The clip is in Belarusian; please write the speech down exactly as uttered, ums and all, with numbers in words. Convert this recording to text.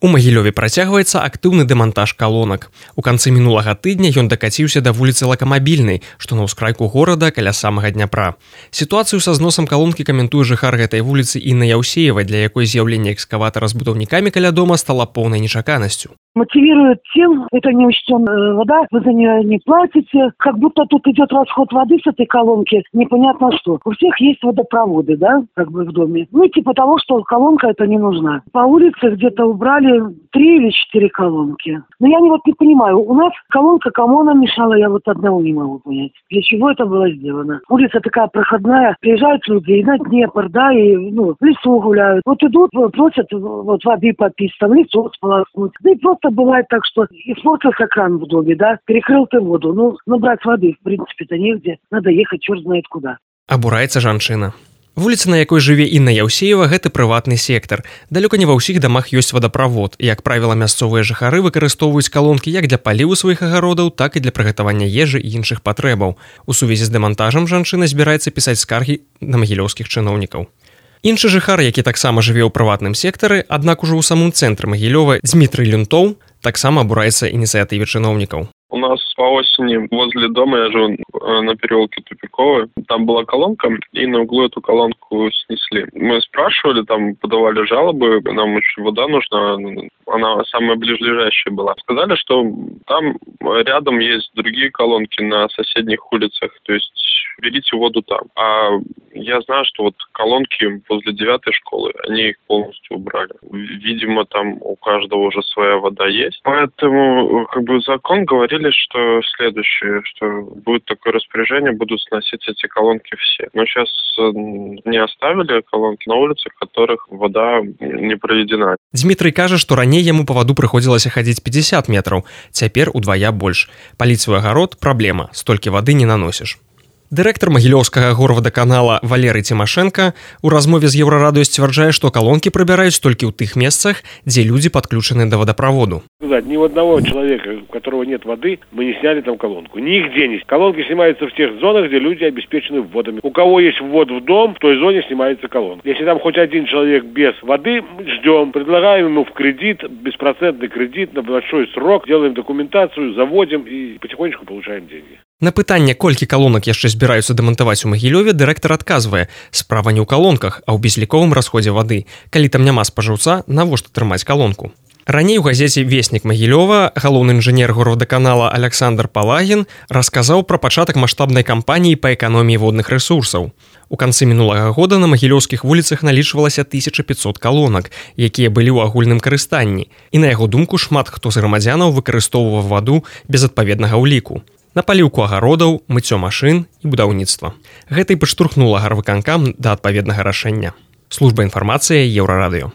У Магілёве працягваецца актыўны дэмантаж калонак. У канцы мінулага тыдня ён дакаціўся да вуліцы Лакамабільнай, што на ўскрайку горада каля самага Дняпра. Сітуацыю са зносам калонкі каментуе жыхар гэтай вуліцы Інна Яўсеева, для якой з'яўленне экскаватара з будаўнікамі каля дома стала поўнай нечаканасцю. Мотивирует тем, это неучтенная вода, вы за нее не платите, как будто тут идет расход воды с этой колонки, непонятно что. У всех есть водопроводы, да, как бы в доме. Ну, типа того, что колонка это не нужна. По улице где-то убрали три или четыре колонки. Но я не, вот не понимаю, у нас колонка кому она мешала, я вот одного не могу понять. Для чего это было сделано? Улица такая проходная, приезжают люди и на Днепр, да, и ну, в лесу гуляют. Вот идут, просят вот воды попить, там лицо сполоснуть. Да и просто бывает так, что испортился кран в доме, да, перекрыл ты воду. Ну, набрать воды, в принципе-то негде. Надо ехать черт знает куда. Абураецца жанчына. Вуліца, на якой жыве Інна Яўсеева, гэта прыватны сектар. Далёка не ва ўсіх дамах ёсць вадаправод. Як правіла, мясцовыя жыхары выкарыстоўваюць калонкі як для паліву сваіх агародаў, так і для прыгатавання ежы і іншых патрэбаў. У сувязі з дэмантажам жанчына збіраецца пісаць скаргі на магілёўскіх чыноўнікаў. Іншы жыхар, які таксама жыве ў прыватным сектары, аднак ужо ў самым цэнтры Магілёва, Дзмітрый Люнтоў, таксама абураецца ініцыятыве чыноўнікаў. У нас по осени возле дома, я живу на переулке Тупиковой, там была колонка, и на углу эту колонку снесли. Мы спрашивали, там подавали жалобы, нам очень вода нужна, она самая ближайшая была. Сказали, что там рядом есть другие колонки на соседних улицах, то есть берите воду там. А я знаю, что вот колонки возле девятой школы, они их полностью убрали. Видимо, там у каждого уже своя вода есть. Поэтому как бы закон говорит, что следующее, что будет такое распоряжение, будут сносить эти колонки все. Но сейчас не оставили колонки на улицах, в которых вода не проведена. Дзмітрый кажа, што раней яму па ваду прыходзілася хадзіць пятьдесят метраў, цяпер удвая больш. Паліць свой агарод – праблема, столькі вады не наносіш. Дырэктар Магілёўскага горвадаканала Валерый Тимошенко у размове з Еўрарадыё сцвярджае, што калонкі прыбіраюць толькі ў тых месцах, дзе людзі падключаны да водопроводу. Ни у одного человека, у которого нет воды, мы не сняли там колонку. Нигде не. Колонки снимаются в тех зонах, где люди обеспечены вводами. У кого есть ввод в дом, в той зоне снимается колонка. Если там хоть один человек без воды, ждем, предлагаем ему в кредит, беспроцентный кредит на большой срок, делаем документацию, заводим и потихонечку получаем деньги. На пытанне, колькі калонак яшчэ збіраюцца дэмантаваць у Магілёве, дырэктар адказвае: справа не ў калонках, а ў безліковым расходзе вады. Калі там няма спажыўца, навошта трымаць калонку? Раней у газеце «Вестник Магілёва» галоўны інжынер горвадаканала Александр Палагін расказаў пра пачатак маштабнай кампаніі па эканоміі водных рэсурсаў. У канцы мінулага года на магілёўскіх вуліцах налічвалася тысяча пятьсот калонак, якія былі ў агульным карыстанні. І на яго думку, шмат хто з грамадзянаў выкарыстоўваў ваду без адпаведнага ўліку. На паліўку агародаў, мыццё машын і будаўніцтва. Гэта і падштурхнула гарвыканкам да адпаведнага рашэння. Служба інфармацыі Еўрарадыё.